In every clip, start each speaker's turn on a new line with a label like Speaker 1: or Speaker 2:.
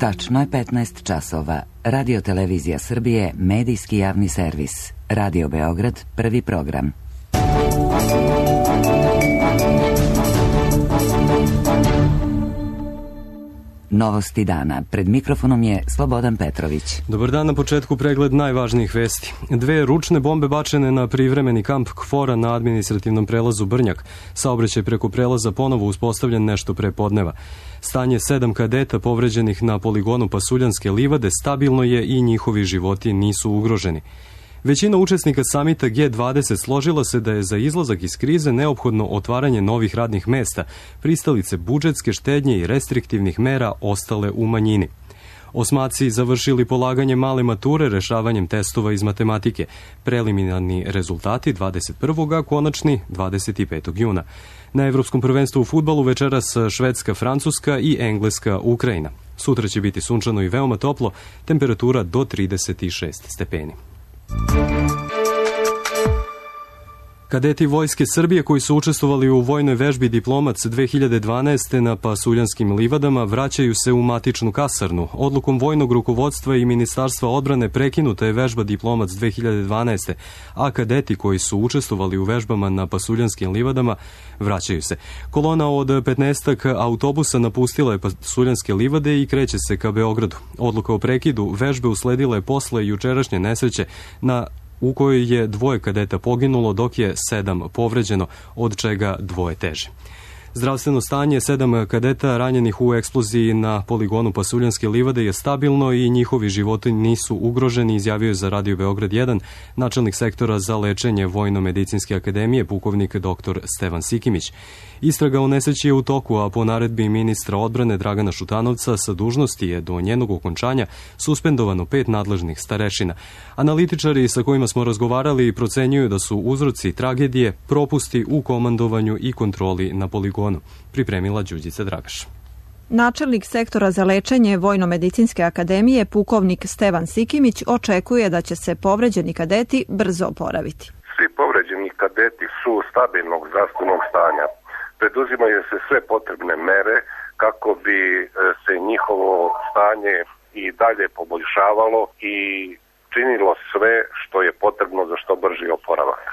Speaker 1: Tačno je 15 časova. Radio Televizija Srbije, medijski javni servis. Radio Beograd, prvi program. Novosti dana. Pred mikrofonom je Slobodan Petrović.
Speaker 2: Dobar dan, na početku pregled najvažnijih vesti. 2 ručne bombe bačene na privremeni kamp KFOR-a na administrativnom prelazu Brnjak. Saobraćaj preko prelaza ponovo uspostavljen nešto pre podneva. Stanje 7 kadeta povređenih na poligonu Pasuljanske livade stabilno je i njihovi životi nisu ugroženi. Većina učesnika samita G20 složila se da je za izlazak iz krize neophodno otvaranje novih radnih mesta, pristalice budžetske štednje i restriktivnih mera ostale u manjini. Osmaci završili polaganje male mature rešavanjem testova iz matematike. Preliminarni rezultati 21. a konačni 25. juna. Na Evropskom prvenstvu u fudbalu večeras Švedska, Francuska i Engleska, Ukrajina. Sutra će biti sunčano i veoma toplo, temperatura do 36 stepeni. Kadeti Vojske Srbije koji su učestvovali u vojnoj vežbi Diplomac 2012. na Pasuljanskim livadama vraćaju se u matičnu kasarnu. Odlukom vojnog rukovodstva i Ministarstva odbrane prekinuta je vežba Diplomac 2012. a kadeti koji su učestvovali u vežbama na Pasuljanskim livadama vraćaju se. Kolona od 15 autobusa napustila je Pasuljanske livade i kreće se ka Beogradu. Odluka o prekidu vežbe usledila je posle jučerašnje nesreće u kojoj je 2 kadeta poginulo, dok je 7 povređeno, od čega 2 teže. Zdravstveno stanje 7 kadeta ranjenih u eksploziji na poligonu Pasuljanske livade je stabilno i njihovi životi nisu ugroženi, izjavio je za Radio Beograd 1 načelnik sektora za lečenje Vojno-medicinske akademije, pukovnik dr. Stevan Sikimić. Istraga o nesreći je u toku, a po naredbi ministra odbrane Dragana Šutanovca sa dužnosti je do njenog okončanja suspendovano 5 nadležnih starešina. Analitičari sa kojima smo razgovarali procenjuju da su uzroci tragedije propusti u komandovanju i kontroli na poligonu. Pripremila Đurđica Dragaš.
Speaker 3: Načelnik sektora za lečenje Vojno-medicinske akademije, pukovnik Stevan Sikimić, očekuje da će se povređeni kadeti brzo oporaviti.
Speaker 4: Svi povređeni kadeti su stabilnog zdravstvenog stanja. Preduzimaju se sve potrebne mere kako bi se njihovo stanje i dalje poboljšavalo i činilo sve što je potrebno za što brži oporavak.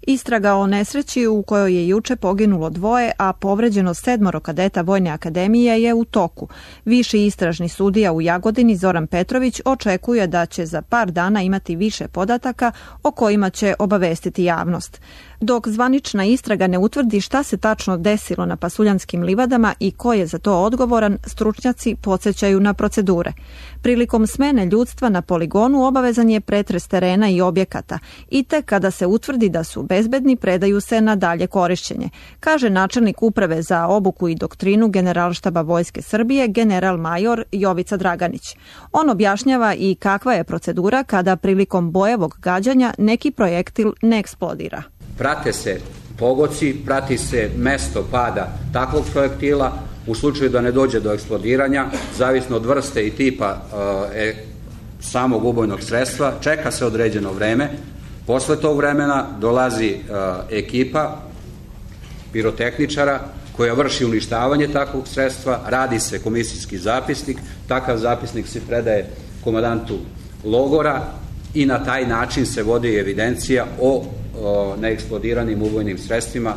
Speaker 3: Istraga o nesreći u kojoj je juče poginulo 2, a povređeno 7 kadeta Vojne akademije je u toku. Viši istražni sudija u Jagodini Zoran Petrović očekuje da će za par dana imati više podataka o kojima će obavestiti javnost. Dok zvanična istraga ne utvrdi šta se tačno desilo na Pasuljanskim livadama i ko je za to odgovoran, stručnjaci podsjećaju na procedure. Prilikom smene ljudstva na poligonu obavezan je pretres terena i objekata i tek kada se utvrdi da su bezbedni, predaju se na dalje korišćenje, kaže načelnik uprave za obuku i doktrinu Generalštaba Vojske Srbije, general major Jovica Draganić. On objašnjava i kakva je procedura kada prilikom bojevog gađanja neki projektil ne eksplodira.
Speaker 5: Prate se pogoci, prati se mesto pada takvog projektila. U slučaju da ne dođe do eksplodiranja, zavisno od vrste i tipa samog ubojnog sredstva, čeka se određeno vreme. Posle tog vremena dolazi ekipa pirotehničara koja vrši uništavanje takvog sredstva, radi se komisijski zapisnik, takav zapisnik se predaje komandantu logora i na taj način se vodi evidencija o neeksplodiranim ubojnim sredstvima.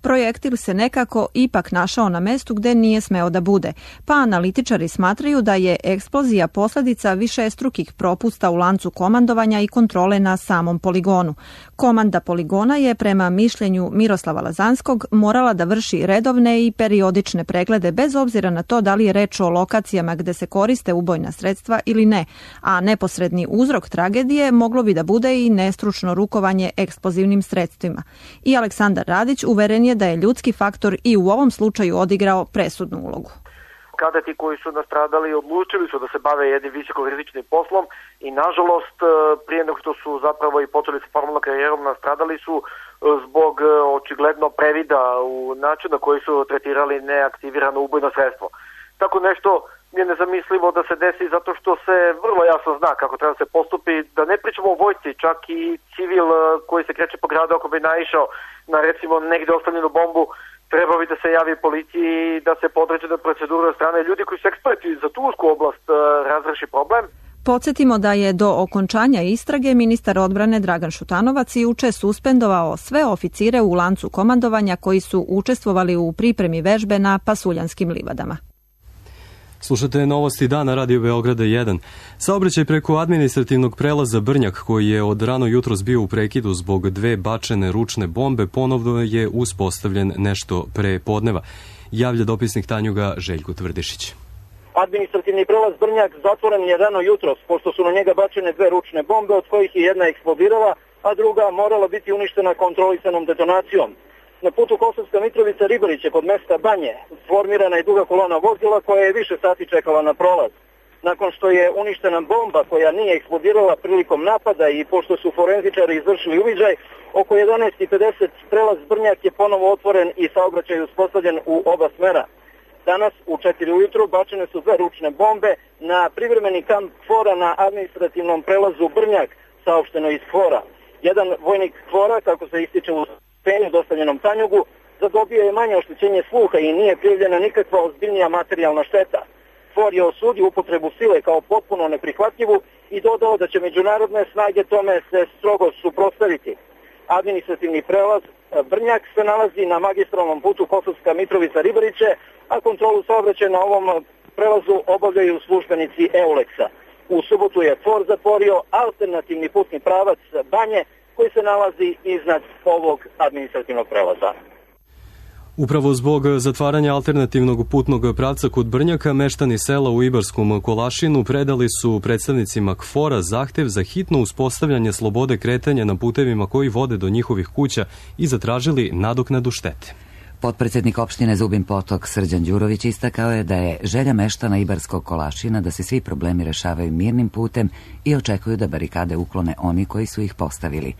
Speaker 3: Projektil se nekako ipak našao na mestu gde nije smeo da bude, pa analitičari smatraju da je eksplozija posledica višestrukih propusta u lancu komandovanja i kontrole na samom poligonu. Komanda poligona je prema mišljenju Miroslava Lazanskog morala da vrši redovne i periodične preglede bez obzira na to da li je reč o lokacijama gde se koriste ubojna sredstva ili ne, a neposredni uzrok tragedije moglo bi da bude i nestručno rukovanje eksplozivnim sredstvima. I Aleksandar Radić uveren je da je ljudski faktor i u ovom slučaju odigrao presudnu ulogu.
Speaker 6: Kadeti koji su nastradali odlučili su da se bave jednim visokorizičnim poslom i nažalost prije nego što su zapravo i počeli sa formalnom karijerom nastradali su zbog očigledno previda u načinu na koji su tretirali neaktivirano ubojno sredstvo. Tako nešto je nezamislivo da se desi zato što se vrlo jasno zna kako treba se postupi, da ne pričamo o vojsci, čak i civil koji se kreće po gradu ako bi naišao na recimo negde ostavljenu bombu, trebao bi da se javi policiji i da se po određene procedure od strane ljudi koji su eksperti za tu usku oblast razreši problem.
Speaker 3: Podsjetimo da je do okončanja istrage ministar odbrane Dragan Šutanovac juče suspendovao sve oficire u lancu komandovanja koji su učestvovali u pripremi vežbe na Pasuljanskim livadama.
Speaker 2: Slušate novosti dana Radio Beograda 1. Saobraćaj preko administrativnog prelaza Brnjak, koji je od rano jutros bio u prekidu zbog dve bačene ručne bombe, ponovno je uspostavljen nešto pre podneva. Javlja dopisnik Tanjuga Željko Tvrdišić.
Speaker 7: Administrativni prelaz Brnjak zatvoren je rano jutros, pošto su na njega bačene dve ručne bombe, od kojih je jedna eksplodirala, a druga morala biti uništena kontrolisanom detonacijom. Na putu Kosovska Mitrovica-Ribariće kod mesta Banje formirana je duga kolona vozila koja je više sati čekala na prolaz. Nakon što je uništena bomba koja nije eksplodirala prilikom napada i pošto su forenzičari izvršili uviđaj, oko 11:50 prelaz Brnjak je ponovo otvoren i saobraćaj uspostavljen u oba smera. Danas u 4 ujutru bačene su dve ručne bombe na privremeni kamp KFOR-a na administrativnom prelazu Brnjak, saopšteno iz KFOR-a. Jedan vojnik KFOR-a, kako se ističe u saopštenju dostavljenom Tanjugu, zadobio je manje oštećenje sluha i nije prijavljena nikakva ozbiljnija materijalna šteta. KFOR je osudio upotrebu sile kao potpuno neprihvatljivu i dodao da će međunarodne snage tome se strogo suprotstaviti. Administrativni prelaz Brnjak se nalazi na magistralnom putu Kosovska Mitrovica-Ribariće, a kontrolu saobraćaja na ovom prelazu obavljaju službenici EULEX-a. U subotu je KFOR zatvorio alternativni putni pravac Banje, koji se nalazi iznad ovog administrativnog prelaza.
Speaker 2: Upravo zbog zatvaranja alternativnog putnog pravca kod Brnjaka, meštani sela u Ibarskom Kolašinu predali su predstavnicima KFOR-a zahtev za hitno uspostavljanje slobode kretanja na putevima koji vode do njihovih kuća i zatražili nadoknadu štete.
Speaker 1: Potpredsednik opštine Zubin Potok Srđan Đurović istakao je da je želja meštana Ibarskog Kolašina da se svi problemi rešavaju mirnim putem i očekuju da barikade uklone oni koji su ih postavili.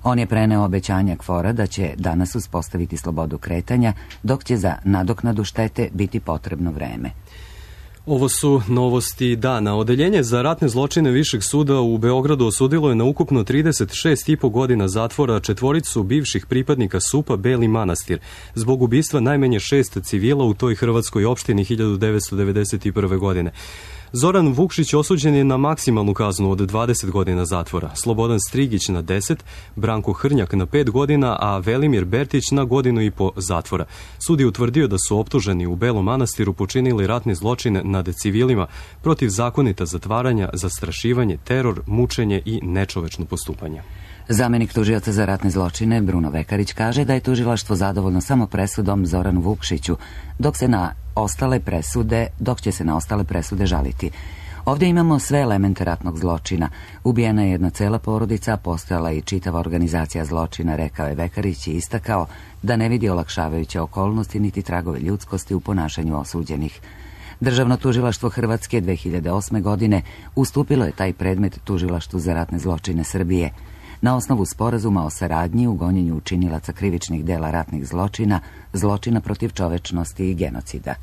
Speaker 1: On je preneo obećanja KFOR-a da će danas uspostaviti slobodu kretanja, dok će za nadoknadu štete biti potrebno vreme.
Speaker 2: Ovo su novosti dana. Odeljenje za ratne zločine Višeg suda u Beogradu osudilo je na ukupno 36,5 godina zatvora četvoricu bivših pripadnika SUP-a Beli Manastir zbog ubistva najmanje 6 civila u toj hrvatskoj opštini 1991. godine. Zoran Vukšić osuđen je na maksimalnu kaznu od 20 godina zatvora, Slobodan Strigić na 10, Branko Hrnjak na 5 godina, a Velimir Bertić na 1,5 godine zatvora. Sud je utvrdio da su optuženi u Belom Manastiru počinili ratni zločin nad civilima, protivzakonita zatvaranja, zastrašivanje, teror, mučenje i nečovečno postupanje.
Speaker 1: Zamenik tužioca za ratne zločine Bruno Vekarić kaže da je tužilaštvo zadovoljno samo presudom Zoranu Vukšiću, dok će se na ostale presude žaliti. Ovdje imamo sve elemente ratnog zločina. Ubijena je jedna cela porodica, postojala i čitava organizacija zločina, rekao je Vekarić i istakao da ne vidi olakšavajuće okolnosti niti tragove ljudskosti u ponašanju osuđenih. Državno tužilaštvo Hrvatske 2008. godine ustupilo je taj predmet Tužilaštvu za ratne zločine Srbije. Na osnovu sporazuma o saradnji u gonjenju učinilaca krivičnih dela ratnih zločina, zločina protiv čovečnosti i genocida.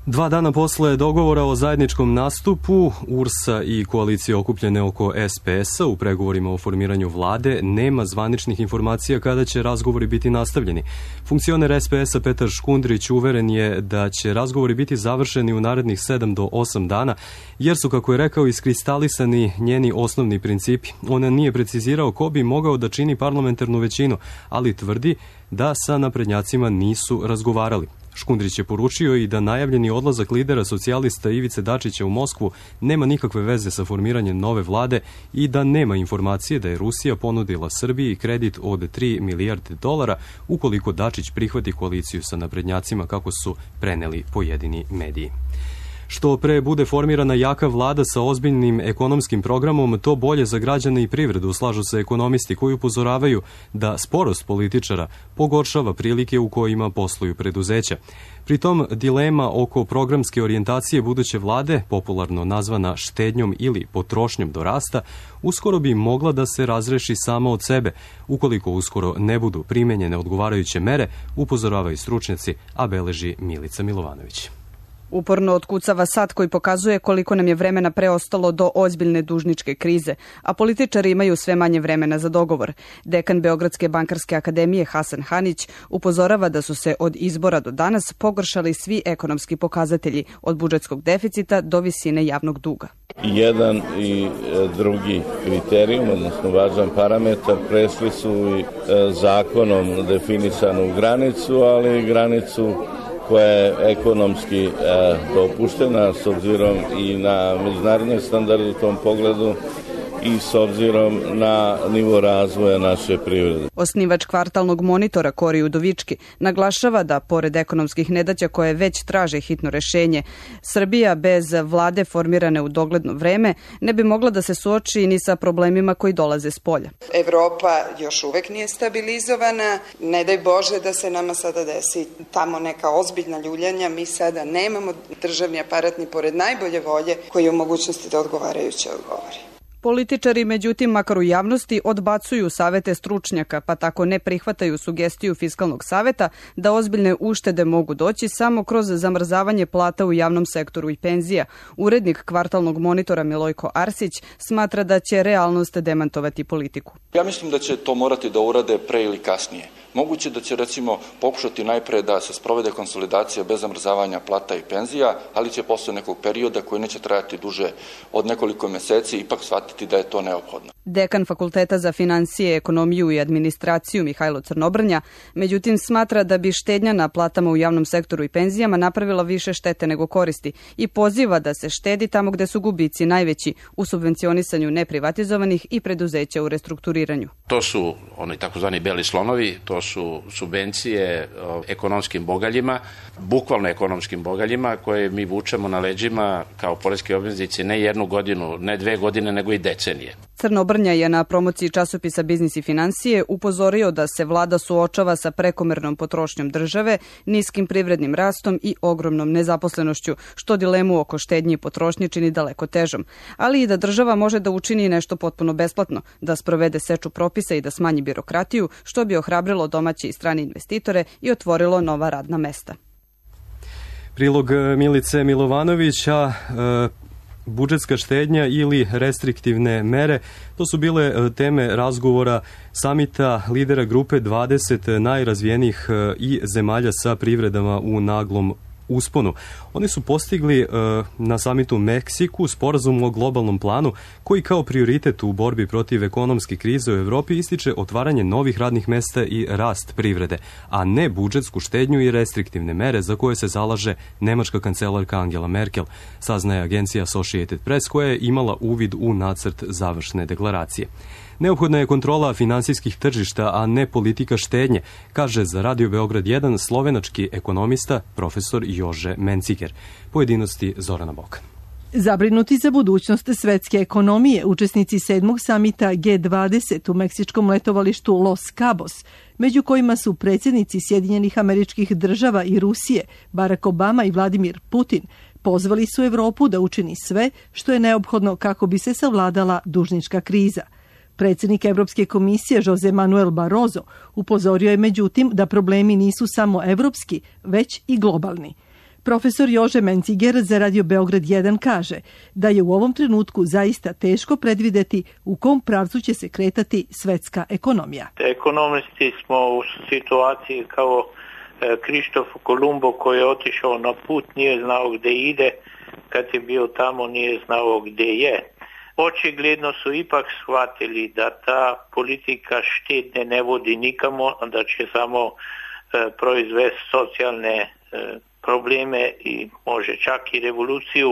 Speaker 2: 2 dana posle dogovora o zajedničkom nastupu URS-a i koalicije okupljene oko SPS-a u pregovorima o formiranju vlade nema zvaničnih informacija kada će razgovori biti nastavljeni. Funkcioner SPS-a Petar Škundrić uveren je da će razgovori biti završeni u narednih 7 do 8 dana, jer su, kako je rekao, iskristalisani njeni osnovni principi. On nije precizirao ko bi mogao da čini parlamentarnu većinu, ali tvrdi da sa naprednjacima nisu razgovarali. Škundrić je poručio i da najavljeni odlazak lidera socijalista Ivice Dačića u Moskvu nema nikakve veze sa formiranjem nove vlade i da nema informacije da je Rusija ponudila Srbiji kredit od $3 milijarde ukoliko Dačić prihvati koaliciju sa naprednjacima, kako su preneli pojedini mediji. Što pre bude formirana jaka vlada sa ozbiljnim ekonomskim programom, to bolje za građane i privredu, slažu se ekonomisti koji upozoravaju da sporost političara pogoršava prilike u kojima posluju preduzeća. Pritom, dilema oko programske orijentacije buduće vlade, popularno nazvana štednjom ili potrošnjom do rasta, uskoro bi mogla da se razreši sama od sebe, ukoliko uskoro ne budu primenjene odgovarajuće mere, upozoravaju stručnjaci, a beleži Milica Milovanović.
Speaker 8: Uporno otkucava sat koji pokazuje koliko nam je vremena preostalo do ozbiljne dužničke krize, a političari imaju sve manje vremena za dogovor. Dekan Beogradske bankarske akademije Hasan Hanić upozorava da su se od izbora do danas pogoršali svi ekonomski pokazatelji, od budžetskog deficita do visine javnog duga.
Speaker 9: Jedan i drugi kriterijum, odnosno važan parametar, prešli su i zakonom definisanu granicu, ali granicu koja je ekonomski dopuštena s obzirom i na međunarodne standarde u tom pogledu i s obzirom na nivo razvoja naše privrede.
Speaker 8: Osnivač kvartalnog monitora Kori Udovički naglašava da, pored ekonomskih nedaća koje već traže hitno rešenje, Srbija bez vlade formirane u dogledno vreme ne bi mogla da se suoči ni sa problemima koji dolaze s polja.
Speaker 10: Evropa još uvek nije stabilizovana, ne daj Bože da se nama sada desi tamo neka ozbiljna ljuljanja, mi sada nemamo državni aparat ni pored najbolje volje koji je u mogućnosti da odgovarajuće odgovori.
Speaker 8: Političari, međutim, makar u javnosti, odbacuju savete stručnjaka, pa tako ne prihvataju sugestiju Fiskalnog saveta da ozbiljne uštede mogu doći samo kroz zamrzavanje plata u javnom sektoru i penzija. Urednik kvartalnog monitora Milojko Arsić smatra da će realnost demantovati politiku.
Speaker 11: Ja mislim da će to morati da urade pre ili kasnije. Moguće da će, recimo, pokušati najpre da se sprovede konsolidacija bez zamrzavanja plata i penzija, ali će posle nekog perioda koji neće trajati duže od nekoliko meseci ipak shvatiti da je to neophodno.
Speaker 8: Dekan Fakulteta za financije, ekonomiju i administraciju Mihajlo Crnobrnja, međutim, smatra da bi štednja na platama u javnom sektoru i penzijama napravila više štete nego koristi i poziva da se štedi tamo gde su gubici najveći, u subvencionisanju neprivatizovanih i preduzeća u restrukturiranju.
Speaker 12: To su oni takozvani beli slonovi, to su subvencije ekonomskim bogaljima, bukvalno ekonomskim bogaljima koje mi vučemo na leđima kao poreski obveznici ne jednu godinu, ne 2 godine, nego i decenije.
Speaker 8: Crnobrnja je na promociji časopisa Biznis i financije upozorio da se vlada suočava sa prekomernom potrošnjom države, niskim privrednim rastom i ogromnom nezaposlenošću, što dilemu oko štednje i potrošnje čini daleko težom, ali i da država može da učini nešto potpuno besplatno, da sprovede seču propisa i da smanji birokratiju, što bi ohrabrilo domaće i strane investitore i otvorilo nova radna mesta.
Speaker 2: Prilog Milice Milovanović, budžetska štednja ili restriktivne mere, to su bile teme razgovora samita lidera grupe 20 najrazvijenijih i zemalja sa privredama u naglom usponu. Oni su postigli na samitu u Meksiku sporazum o globalnom planu koji kao prioritet u borbi protiv ekonomske krize u Evropi ističe otvaranje novih radnih mesta i rast privrede, a ne budžetsku štednju i restriktivne mere za koje se zalaže nemačka kancelarka Angela Merkel, saznaje agencija Associated Press koja je imala uvid u nacrt završne deklaracije. Neophodna je kontrola finansijskih tržišta, a ne politika štednje, kaže za Radio Beograd 1 slovenački ekonomista profesor Jože Menciger. Pojedinosti Zorana Bokan.
Speaker 13: Zabrinuti za budućnost svetske ekonomije, učesnici 7. samita G20 u meksičkom letovalištu Los Cabos, među kojima su predsjednici Sjedinjenih Američkih Država i Rusije, Barack Obama i Vladimir Putin, pozvali su Evropu da učini sve što je neophodno kako bi se savladala dužnička kriza. Predsjednik Evropske komisije Jose Manuel Barroso upozorio je međutim da problemi nisu samo evropski, već i globalni. Profesor Jože Menciger za Radio Beograd 1 kaže da je u ovom trenutku zaista teško predvideti u kom pravcu će se kretati svetska ekonomija.
Speaker 14: Ekonomisti smo u situaciji kao Krištof Kolumbo koji je otišao na put, nije znao gde ide, kad je bio tamo nije znao gde je. Očigledno su ipak shvatili da ta politika štednje ne vodi nikamo, da će samo proizvesti socijalne probleme i može čak i revoluciju,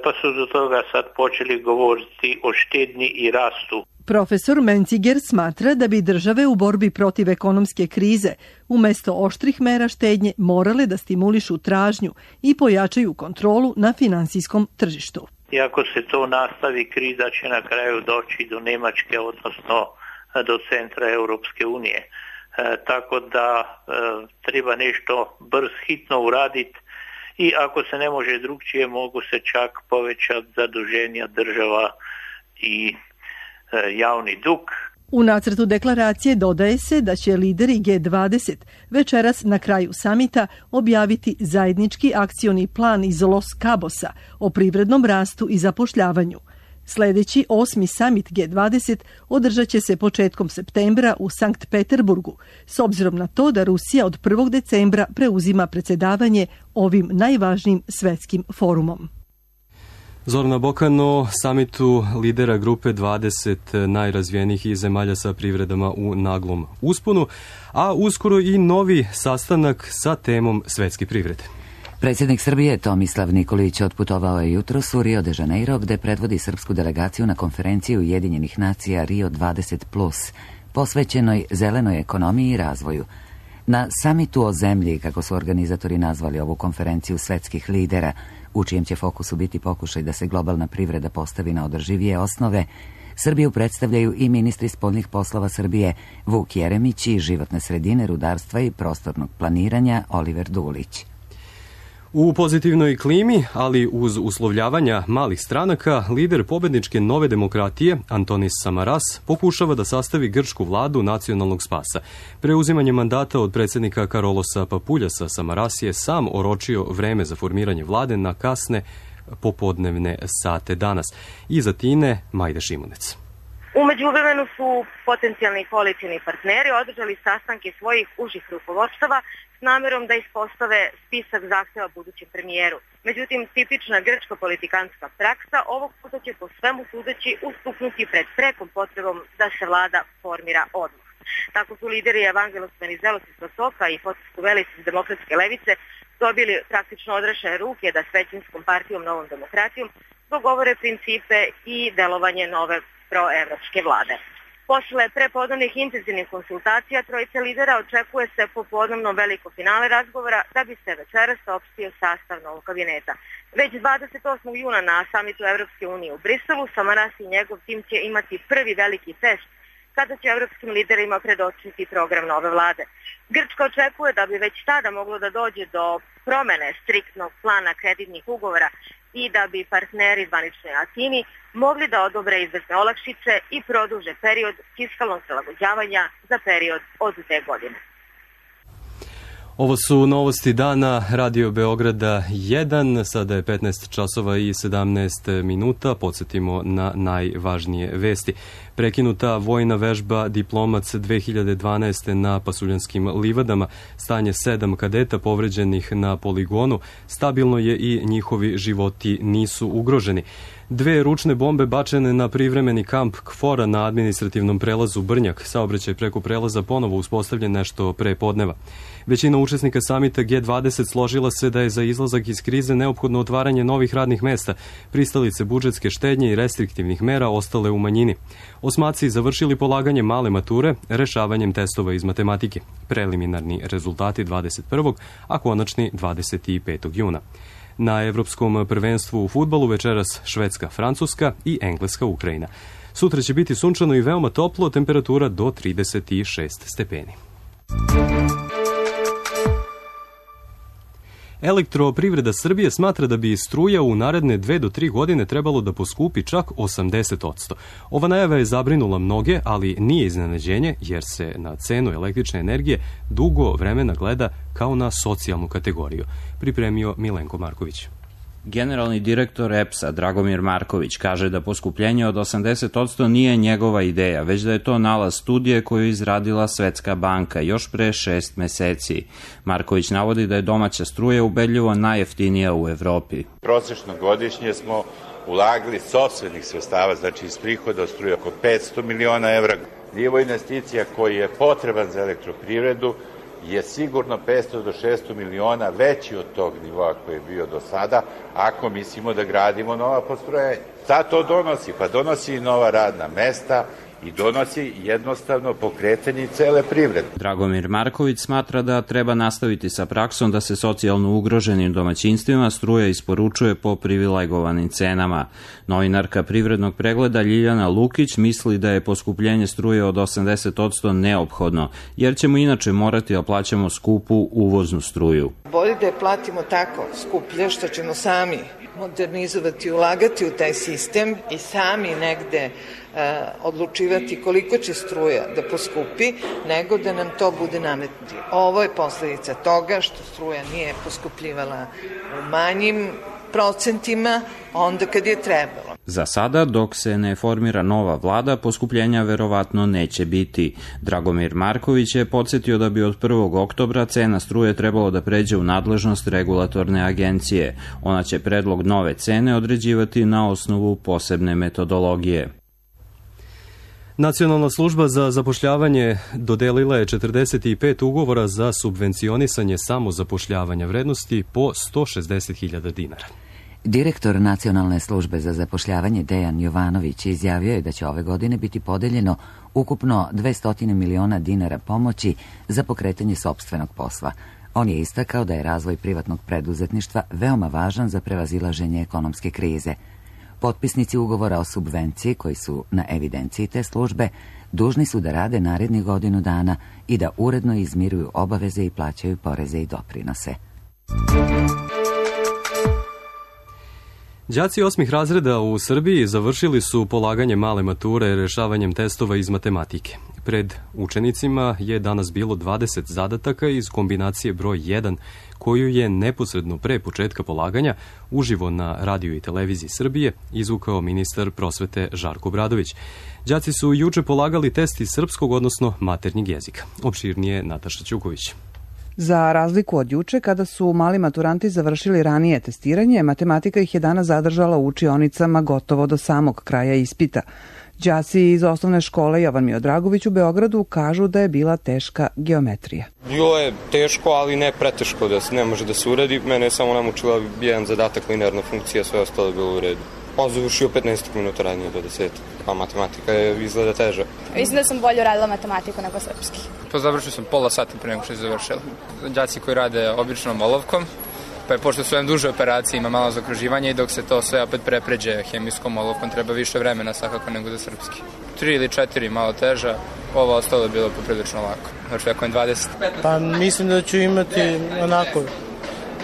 Speaker 14: pa su do toga sad počeli govoriti o štednji i rastu.
Speaker 13: Profesor Menciger smatra da bi države u borbi protiv ekonomske krize umesto oštrih mera štednje morale da stimulišu tražnju i pojačaju kontrolu na finansijskom tržištu.
Speaker 14: I ako se to nastavi, kriza će na kraju doći do Nemačke, odnosno do centra Europske unije. Tako da treba nešto hitno uraditi i ako se ne može drugčije, mogu se čak povećati zaduženja država i javni dug.
Speaker 13: U nacrtu deklaracije dodaje se da će lideri G20 večeras na kraju samita objaviti zajednički akcioni plan iz Los Cabosa o privrednom rastu i zapošljavanju. Sljedeći 8. samit G20 održat će se početkom septembra u Sankt Peterburgu, s obzirom na to da Rusija od 1. decembra preuzima predsjedavanje ovim najvažnijim svetskim forumom.
Speaker 2: Zorana Bokan o samitu lidera grupe 20 najrazvijenijih zemalja sa privredama u naglom usponu, a uskoro i novi sastanak sa temom svetske privrede.
Speaker 1: Predsjednik Srbije Tomislav Nikolić otputovao je jutros u Rio de Janeiro, gde predvodi srpsku delegaciju na konferenciju Ujedinjenih nacija Rio 20+, posvećenoj zelenoj ekonomiji i razvoju. Na samitu o zemlji, kako su organizatori nazvali ovu konferenciju svetskih lidera, u čijem će fokusu biti pokušaj da se globalna privreda postavi na održivije osnove, Srbiju predstavljaju i ministri spoljnih poslova Srbije Vuk Jeremić i životne sredine, rudarstva i prostornog planiranja Oliver Dulić.
Speaker 2: U pozitivnoj klimi, ali uz uslovljavanja malih stranaka, lider pobedničke Nove demokratije, Antonis Samaras, pokušava da sastavi grčku vladu nacionalnog spasa. Preuzimanjem mandata od predsjednika Karolosa Papuljasa, Samaras je sam oročio vreme za formiranje vlade na kasne popodnevne sate danas. Iza Tine, Majda Šimunec.
Speaker 15: U međuvremenu su potencijalni koalicijni partneri održali sastanke svojih užih rukovodstava s namjerom da ispostave spisak zahtjeva budućem premijeru. Međutim, tipična grčka politikanska praksa ovog puta će po svemu sudeći ustuknuti pred prekom potrebom da se vlada formira odmah. Tako su lideri Evangelos Venizelos iz Pasoka i Fotis Kuvelis iz Demokratske levice dobili praktično odrešene ruke da s većinskom partijom Novom demokratijom dogovore principe i delovanje nove proevropske vlade. Posle prepodnevnih intenzivnih konsultacija trojice lidera očekuje se popodnevno veliko finale razgovora da bi se večeras saopštio sastav novog kabineta. Već 28. juna na samitu Evropske unije u Briselu Samaras i njegov tim će imati prvi veliki test kada će evropskim liderima predočiti program nove vlade. Grčka očekuje da bi već tada moglo da dođe do promene striktnog plana kreditnih ugovora i da bi partneri zvaničnoj Atini mogli da odobre izvesne olakšice i produže period fiskalnog prilagođavanja za period od 2 godine.
Speaker 2: Ovo su novosti dana Radio Beograda 1, sada je 15 časova i 17 minuta, podsjetimo na najvažnije vesti. Prekinuta vojna vežba Diplomac 2012. na Pasuljanskim livadama, stanje 7 kadeta povređenih na poligonu, stabilno je i njihovi životi nisu ugroženi. 2 ručne bombe bačene na privremeni kamp KFOR-a na administrativnom prelazu Brnjak. Saobraćaj preko prelaza ponovo uspostavljen nešto pre podneva. Većina učesnika samita G20 složila se da je za izlazak iz krize neophodno otvaranje novih radnih mesta. Pristalice budžetske štednje i restriktivnih mera ostale u manjini. Osmaci završili polaganje male mature rešavanjem testova iz matematike. Preliminarni rezultati 21. a konačni 25. juna. Na Evropskom prvenstvu u fudbalu večeras Švedska, Francuska i Engleska, Ukrajina. Sutra će biti sunčano i veoma toplo, temperatura do 36 stepeni. Elektroprivreda Srbije smatra da bi struja u naredne 2 do 3 godine trebalo da poskupi čak 80%. Ova najava je zabrinula mnoge, ali nije iznenađenje jer se na cenu električne energije dugo vremena gleda kao na socijalnu kategoriju. Pripremio Milenko Marković.
Speaker 16: Generalni direktor EPS-a Dragomir Marković kaže da poskupljenje od 80% nije njegova ideja, već da je to nalaz studije koju je izradila Svetska banka još pre 6 meseci. Marković navodi da je domaća struja ubedljivo najjeftinija u Evropi.
Speaker 17: Prosečno godišnje smo ulagali sopstvenih sredstava, znači iz prihoda od struje oko 500 miliona evra. Nivo investicija koji je potreban za elektroprivredu je sigurno 500 do 600 miliona veći od tog nivoa koji je bio do sada, ako mislimo da gradimo nova postrojenja. Šta to donosi? Pa donosi i nova radna mesta i donosi jednostavno pokretanje cele privrede.
Speaker 16: Dragomir Marković smatra da treba nastaviti sa praksom da se socijalno ugroženim domaćinstvima struja isporučuje po privilegovanim cenama. Novinarka privrednog pregleda Ljiljana Lukić misli da je poskupljenje struje od 80% neophodno, jer ćemo inače morati da plaćamo skupu uvoznu struju.
Speaker 18: Bolje da je platimo tako skuplje što ćemo sami modernizovati, ulagati u taj sistem i sami negde odlučivati koliko će struja da poskupi, nego da nam to bude nametnuti. Ovo je posledica toga što struja nije poskupljivala u manjim procentima onda kad je trebalo.
Speaker 16: Za sada, dok se ne formira nova vlada, poskupljenja verovatno neće biti. Dragomir Marković je podsjetio da bi od 1. oktobra cena struje trebalo da pređe u nadležnost regulatorne agencije. Ona će predlog nove cene određivati na osnovu posebne metodologije.
Speaker 2: Nacionalna služba za zapošljavanje dodelila je 45 ugovora za subvencionisanje samozapošljavanja vrednosti po 160.000 dinara.
Speaker 1: Direktor Nacionalne službe za zapošljavanje Dejan Jovanović izjavio je da će ove godine biti podeljeno ukupno 200 miliona dinara pomoći za pokretanje sopstvenog posla. On je istakao da je razvoj privatnog preduzetništva veoma važan za prevazilaženje ekonomske krize. Potpisnici ugovora o subvenciji koji su na evidenciji te službe dužni su da rade narednih godinu dana i da uredno izmiruju obaveze i plaćaju poreze i doprinose.
Speaker 2: Đaci 8. razreda u Srbiji završili su polaganje male mature rešavanjem testova iz matematike. Pred učenicima je danas bilo 20 zadataka iz kombinacije broj 1, koju je neposredno pre početka polaganja uživo na radiju i televiziji Srbije izvukao ministar prosvete Žarko Obradović. Đaci su juče polagali test iz srpskog, odnosno maternjeg jezika. Opširnije Nataša Ćuković.
Speaker 19: Za razliku od juče, kada su mali maturanti završili ranije testiranje, matematika ih je danas zadržala u učionicama gotovo do samog kraja ispita. Đaci iz osnovne škole Jovan Miodragović u Beogradu kažu da je bila teška geometrija.
Speaker 20: Bilo je teško, ali ne preteško da se ne može da se uradi. Mene je samo namučila jedan zadatak, linearna funkcija, sve ostalo je bilo u redu. On završio 15 minuta ranije do 10, a matematika je izgleda teža.
Speaker 21: Mislim da sam bolje uradila matematiku nego srpski.
Speaker 22: To završio sam pola sata pre nego što je završila. Đaci koji rade običnom olovkom, pa je pošto su duže operacije, ima malo zaokruživanja i dok se to sve opet prepređe hemijskom olovkom, treba više vremena svakako nego za srpski. 3 ili 4 malo teža, ovo ostalo je bilo poprilično lako. Očekujem 20.
Speaker 23: Pa mislim da ću imati onako,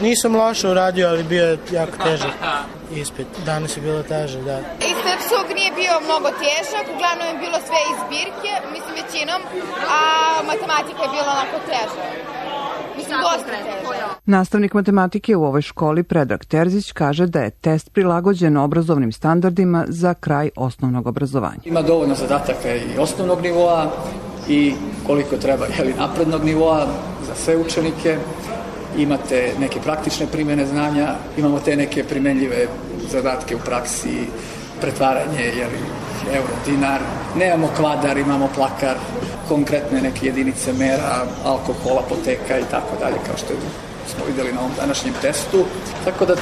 Speaker 23: nisam loše uradio, ali bio je jako težak ispit. Danas je bilo teže, da.
Speaker 21: Iz srpskog nije bio mnogo težak, uglavnom je bilo sve iz zbirke, mislim većinom, a matematika je bila onako teža. Mislim, dosta teža.
Speaker 19: Nastavnik matematike u ovoj školi Predrag Terzić kaže da je test prilagođen obrazovnim standardima za kraj osnovnog obrazovanja.
Speaker 24: Ima dovoljno zadataka i osnovnog nivoa i koliko treba naprednog nivoa za sve učenike. Imate neke praktične primjene znanja, imamo te neke primenljive zadatke u praksi, pretvaranje, euro, dinar, nemamo kvadar, imamo plakar, konkretne neke jedinice mera, alkohol, apoteka i tako dalje, kao što smo videli na ovom današnjem testu. Tako da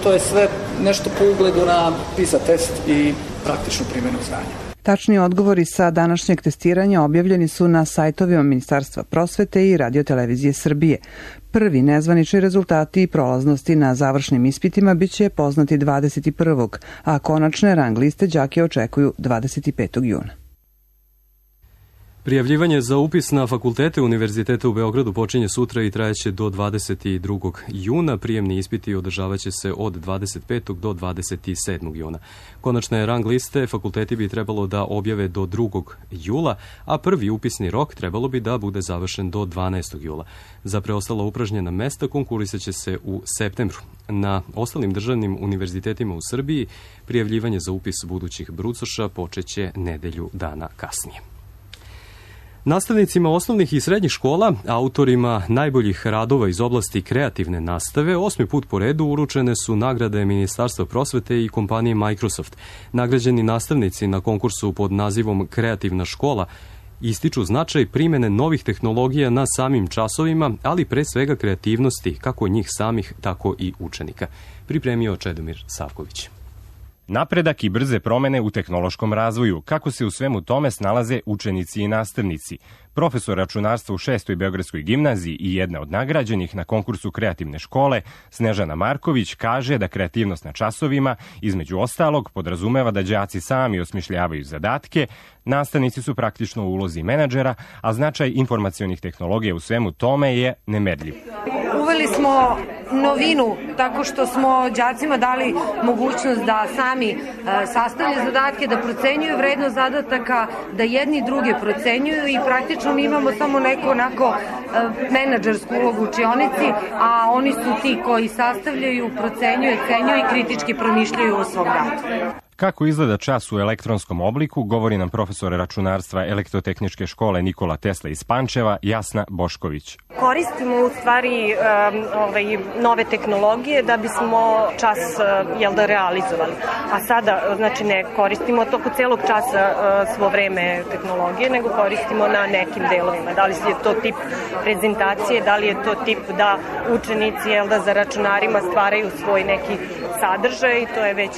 Speaker 24: to je sve nešto po ugledu na PISA test i praktičnu primjenu znanja.
Speaker 19: Tačni odgovori sa današnjeg testiranja objavljeni su na sajtovima Ministarstva prosvete i Radio-televizije Srbije. Prvi nezvanični rezultati i prolaznosti na završnim ispitima biće poznati 21. a konačne rang liste đake očekuju 25. juna.
Speaker 2: Prijavljivanje za upis na fakultete Univerziteta u Beogradu počinje sutra i trajeće do 22. juna. Prijemni ispiti održavaće se od 25. do 27. juna. Konačne rang liste fakulteti bi trebalo da objave do 2. jula, a prvi upisni rok trebalo bi da bude završen do 12. jula. Za preostala upražnjena mesta konkurisat će se u septembru. Na ostalim državnim univerzitetima u Srbiji prijavljivanje za upis budućih brucoša počeće nedelju dana kasnije. Nastavnicima osnovnih i srednjih škola, autorima najboljih radova iz oblasti kreativne nastave, 8. put po redu uručene su nagrade Ministarstva prosvete i kompanije Microsoft. Nagrađeni nastavnici na konkursu pod nazivom Kreativna škola ističu značaj primjene novih tehnologija na samim časovima, ali pre svega kreativnosti kako njih samih, tako i učenika. Pripremio Čedomir Savković.
Speaker 25: Napredak i brze promene u tehnološkom razvoju, kako se u svemu tome snalaze učenici i nastavnici. Profesor računarstva u 6. Beogradskoj gimnaziji i jedna od nagrađenih na konkursu kreativne škole, Snežana Marković, kaže da kreativnost na časovima, između ostalog, podrazumeva da đaci sami osmišljavaju zadatke, nastavnici su praktično u ulozi menadžera, a značaj informacionih tehnologija u svemu tome je nemerljiv.
Speaker 3: Uveli smo novinu tako što smo đacima dali mogućnost da sami sastavljaju zadatke, da procenjuju vrednost zadataka, da jedni druge procenjuju i praktično mi imamo samo neku onako menadžersku ulogu u učionici, a oni su ti koji sastavljaju, procenjuju, cenjuju i kritički promišljaju o svom radu.
Speaker 25: Kako izgleda čas u elektronskom obliku, govori nam profesor računarstva Elektrotehničke škole Nikola Tesla iz Pančeva, Jasna Bošković.
Speaker 4: Koristimo u stvari nove tehnologije da bismo čas realizovali. A sada znači ne koristimo toko celog časa svo vreme tehnologije, nego koristimo na nekim delovima. Da li je to tip prezentacije, da li je to tip da učenici za računarima stvaraju svoj neki sadržaj i to je već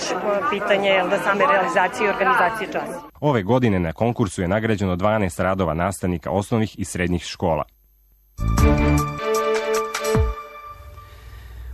Speaker 4: pitanje same realizacije i organizacije časa.
Speaker 25: Ove godine na konkursu je nagrađeno 12 radova nastavnika osnovnih i srednjih škola.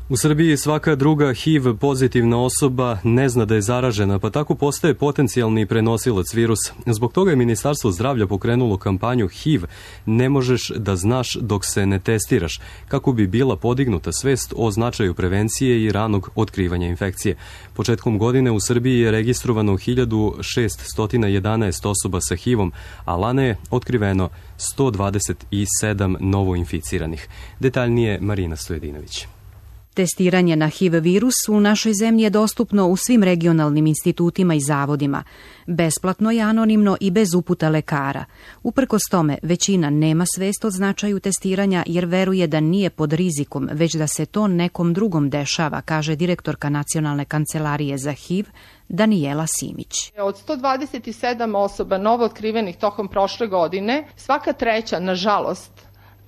Speaker 2: U Srbiji svaka druga HIV pozitivna osoba ne zna da je zaražena, pa tako postaje potencijalni prenosilac virusa. Zbog toga je Ministarstvo zdravlja pokrenulo kampanju HIV ne možeš da znaš dok se ne testiraš, kako bi bila podignuta svest o značaju prevencije i ranog otkrivanja infekcije. Početkom godine u Srbiji je registrovano 1611 osoba sa HIV-om, a lane je otkriveno 127 novoinficiranih. Detaljnije Marina Stojedinović.
Speaker 5: Testiranje na HIV virus u našoj zemlji je dostupno u svim regionalnim institutima i zavodima. Besplatno je, anonimno i bez uputa lekara. Uprkos tome, većina nema svest o značaju testiranja jer veruje da nije pod rizikom, već da se to nekom drugom dešava, kaže direktorka Nacionalne kancelarije za HIV, Danijela Simić.
Speaker 6: Od 127 osoba novo otkrivenih tokom prošle godine, svaka treća, nažalost,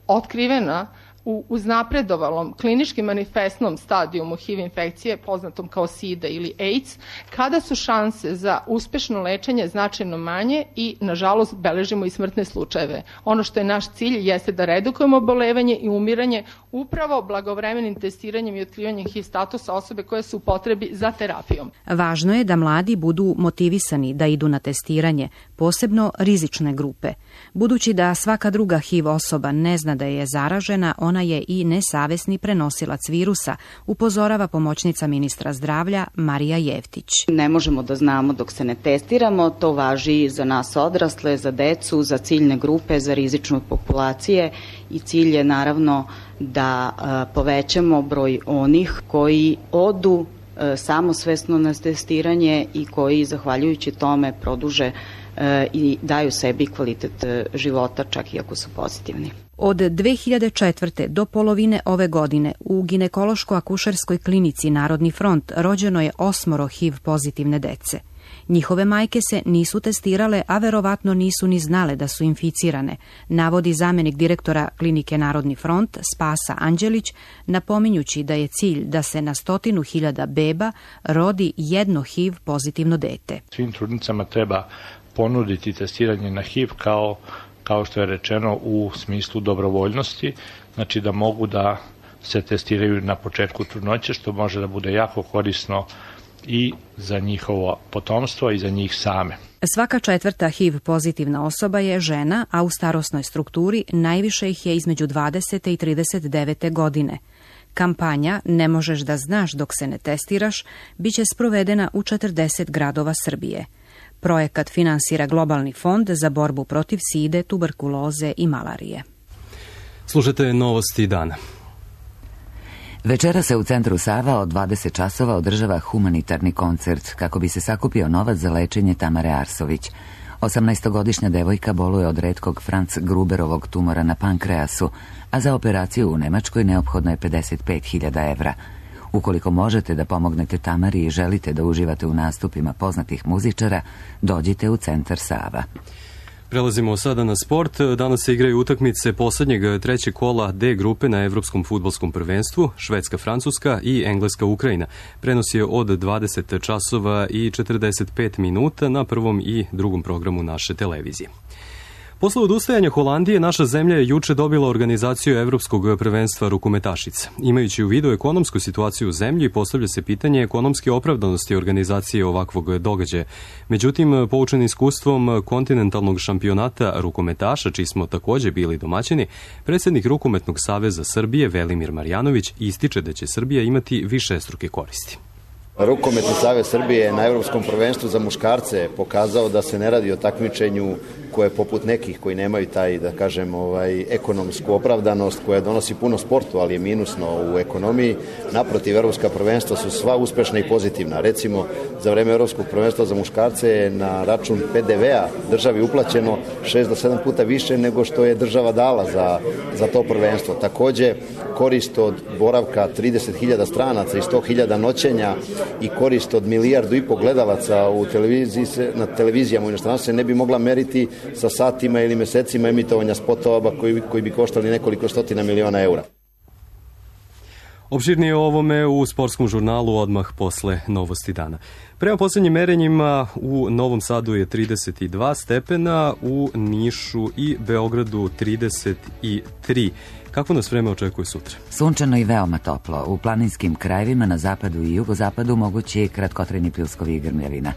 Speaker 6: otkrivena u uznapredovalom klinički manifestnom stadijumu HIV infekcije, poznatom kao SIDA ili AIDS, kada su šanse za uspešno lečenje značajno manje i, nažalost, beležimo i smrtne slučajeve. Ono što je naš cilj jeste da redukujemo obolevanje i umiranje upravo blagovremenim testiranjem i otkrivanjem HIV statusa osobe koje su u potrebi za terapijom.
Speaker 5: Važno je da mladi budu motivisani da idu na testiranje, posebno rizične grupe. Budući da svaka druga HIV osoba ne zna da je zaražena, ona je i nesavesni prenosilac virusa, upozorava pomoćnica ministra zdravlja Marija Jevtić.
Speaker 7: Ne možemo da znamo dok se ne testiramo, to važi i za nas odrasle, za decu, za ciljne grupe, za rizične populacije i cilj je naravno da povećamo broj onih koji odu samosvesno na testiranje i koji zahvaljujući tome produže i daju sebi kvalitet života čak i ako su pozitivni.
Speaker 5: Od 2004. do polovine ove godine u ginekološko-akušerskoj klinici Narodni front rođeno je 8 HIV pozitivne dece. Njihove majke se nisu testirale, a verovatno nisu ni znale da su inficirane, navodi zamenik direktora klinike Narodni front Spasa Anđelić, napominjući da je cilj da se na 100.000 beba rodi jedno HIV pozitivno dete.
Speaker 26: Svim trudnicama treba ponuditi testiranje na HIV kao što je rečeno u smislu dobrovoljnosti, znači da mogu da se testiraju na početku trudnoće, što može da bude jako korisno i za njihovo potomstvo i za njih same.
Speaker 5: Svaka četvrta HIV pozitivna osoba je žena, a u starosnoj strukturi najviše ih je između 20. i 39. godine. Kampanja Ne možeš da znaš dok se ne testiraš biće sprovedena u 40 gradova Srbije. Projekat finansira Globalni fond za borbu protiv side, tuberkuloze i malarije.
Speaker 2: Slušajte novosti dana.
Speaker 1: Večera se u centru Sava od 20 časova održava humanitarni koncert kako bi se sakupio novac za lečenje Tamare Arsović. 18-godišnja devojka boluje od retkog Franz Gruberovog tumora na pankreasu, a za operaciju u Nemačkoj neophodno je 55.000 evra. Ukoliko možete da pomognete Tamari i želite da uživate u nastupima poznatih muzičara, dođite u centar Sava.
Speaker 2: Prelazimo sada na sport. Danas se igraju utakmice poslednjeg trećeg kola D grupe na Evropskom fudbalskom prvenstvu, Švedska-Francuska i Engleska-Ukrajina. Prenos je od 20 časova i 45 minuta na prvom i drugom programu naše televizije. Posle odustajanja Holandije, naša zemlja je juče dobila organizaciju Evropskog prvenstva rukometašica. Imajući u vidu ekonomsku situaciju u zemlji, postavlja se pitanje ekonomske opravdanosti organizacije ovakvog događaja. Međutim, poučen iskustvom kontinentalnog šampionata rukometaša, čiji smo takođe bili domaćini, predsjednik Rukometnog saveza Srbije Velimir Marjanović ističe da će Srbija imati višestruke koristi.
Speaker 8: Rukometni savez Srbije na Evropskom prvenstvu za muškarce pokazao da se ne radi o takmičenju koje poput nekih koji nemaju taj, da kažem, ekonomsku opravdanost koja donosi puno sportu, ali je minusno u ekonomiji. Naprotiv, Evropska prvenstva su sva uspešna i pozitivna. Recimo, za vreme Evropskog prvenstva za muškarce je na račun PDV-a državi uplaćeno 6 do 7 puta više nego što je država dala za to prvenstvo. Takođe, korist od boravka 30.000 stranaca i 100.000 noćenja i korist od 1,5 milijardu gledalaca na televizijama u inostranstvu se ne bi mogla meriti sa satima ili mesecima emitovanja spotova koji bi koštali nekoliko stotina miliona eura.
Speaker 2: Opširnije o ovome u sportskom žurnalu odmah posle novosti dana. Prema poslednjim merenjima u Novom Sadu je 32 stepena, u Nišu i Beogradu 33. Kako nas vreme očekuje sutra?
Speaker 1: Sunčano i veoma toplo. U planinskim krajevima na zapadu i jugozapadu mogući je kratkotrajni pljuskovi i grmljavina.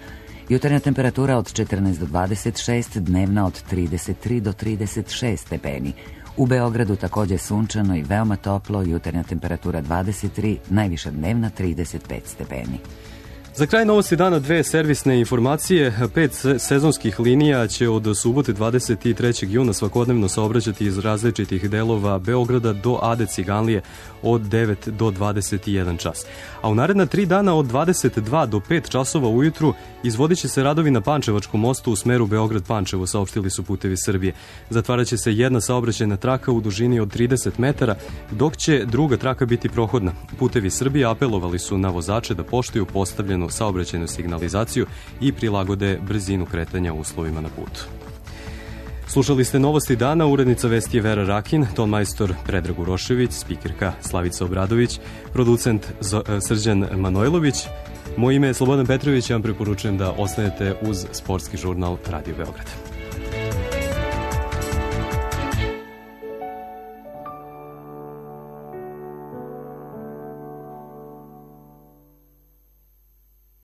Speaker 1: Jutarnja temperatura od 14 do 26, dnevna od 33 do 36 stepeni. U Beogradu takođe sunčano i veoma toplo, jutarnja temperatura 23, najviša dnevna 35 stepeni.
Speaker 2: Za kraj novosti dana 2 servisne informacije. 5 sezonskih linija će od subote 23. juna svakodnevno saobraćati iz različitih delova Beograda do Ade Ciganlije od 9 do 21 čas. A u naredna 3 dana od 22 do 5 časova ujutru izvodit će se radovi na Pančevačkom mostu u smeru Beograd-Pančevo, saopštili su Putevi Srbije. Zatvarat će se jedna saobraćajna traka u dužini od 30 metara, dok će druga traka biti prohodna. Putevi Srbije apelovali su na vozače da poštuju postavljenu saobraćajnu signalizaciju i prilagode brzinu kretanja uslovima na putu. Slušali ste novosti dana, urednica vesti je Vera Rakin, tonmajstor Predrag Urošević, spikerka Slavica Obradović, producent Srđan Manojlović. Moje ime je Slobodan Petrović, ja vam preporučujem da ostanete uz sportski žurnal Radio Beograd.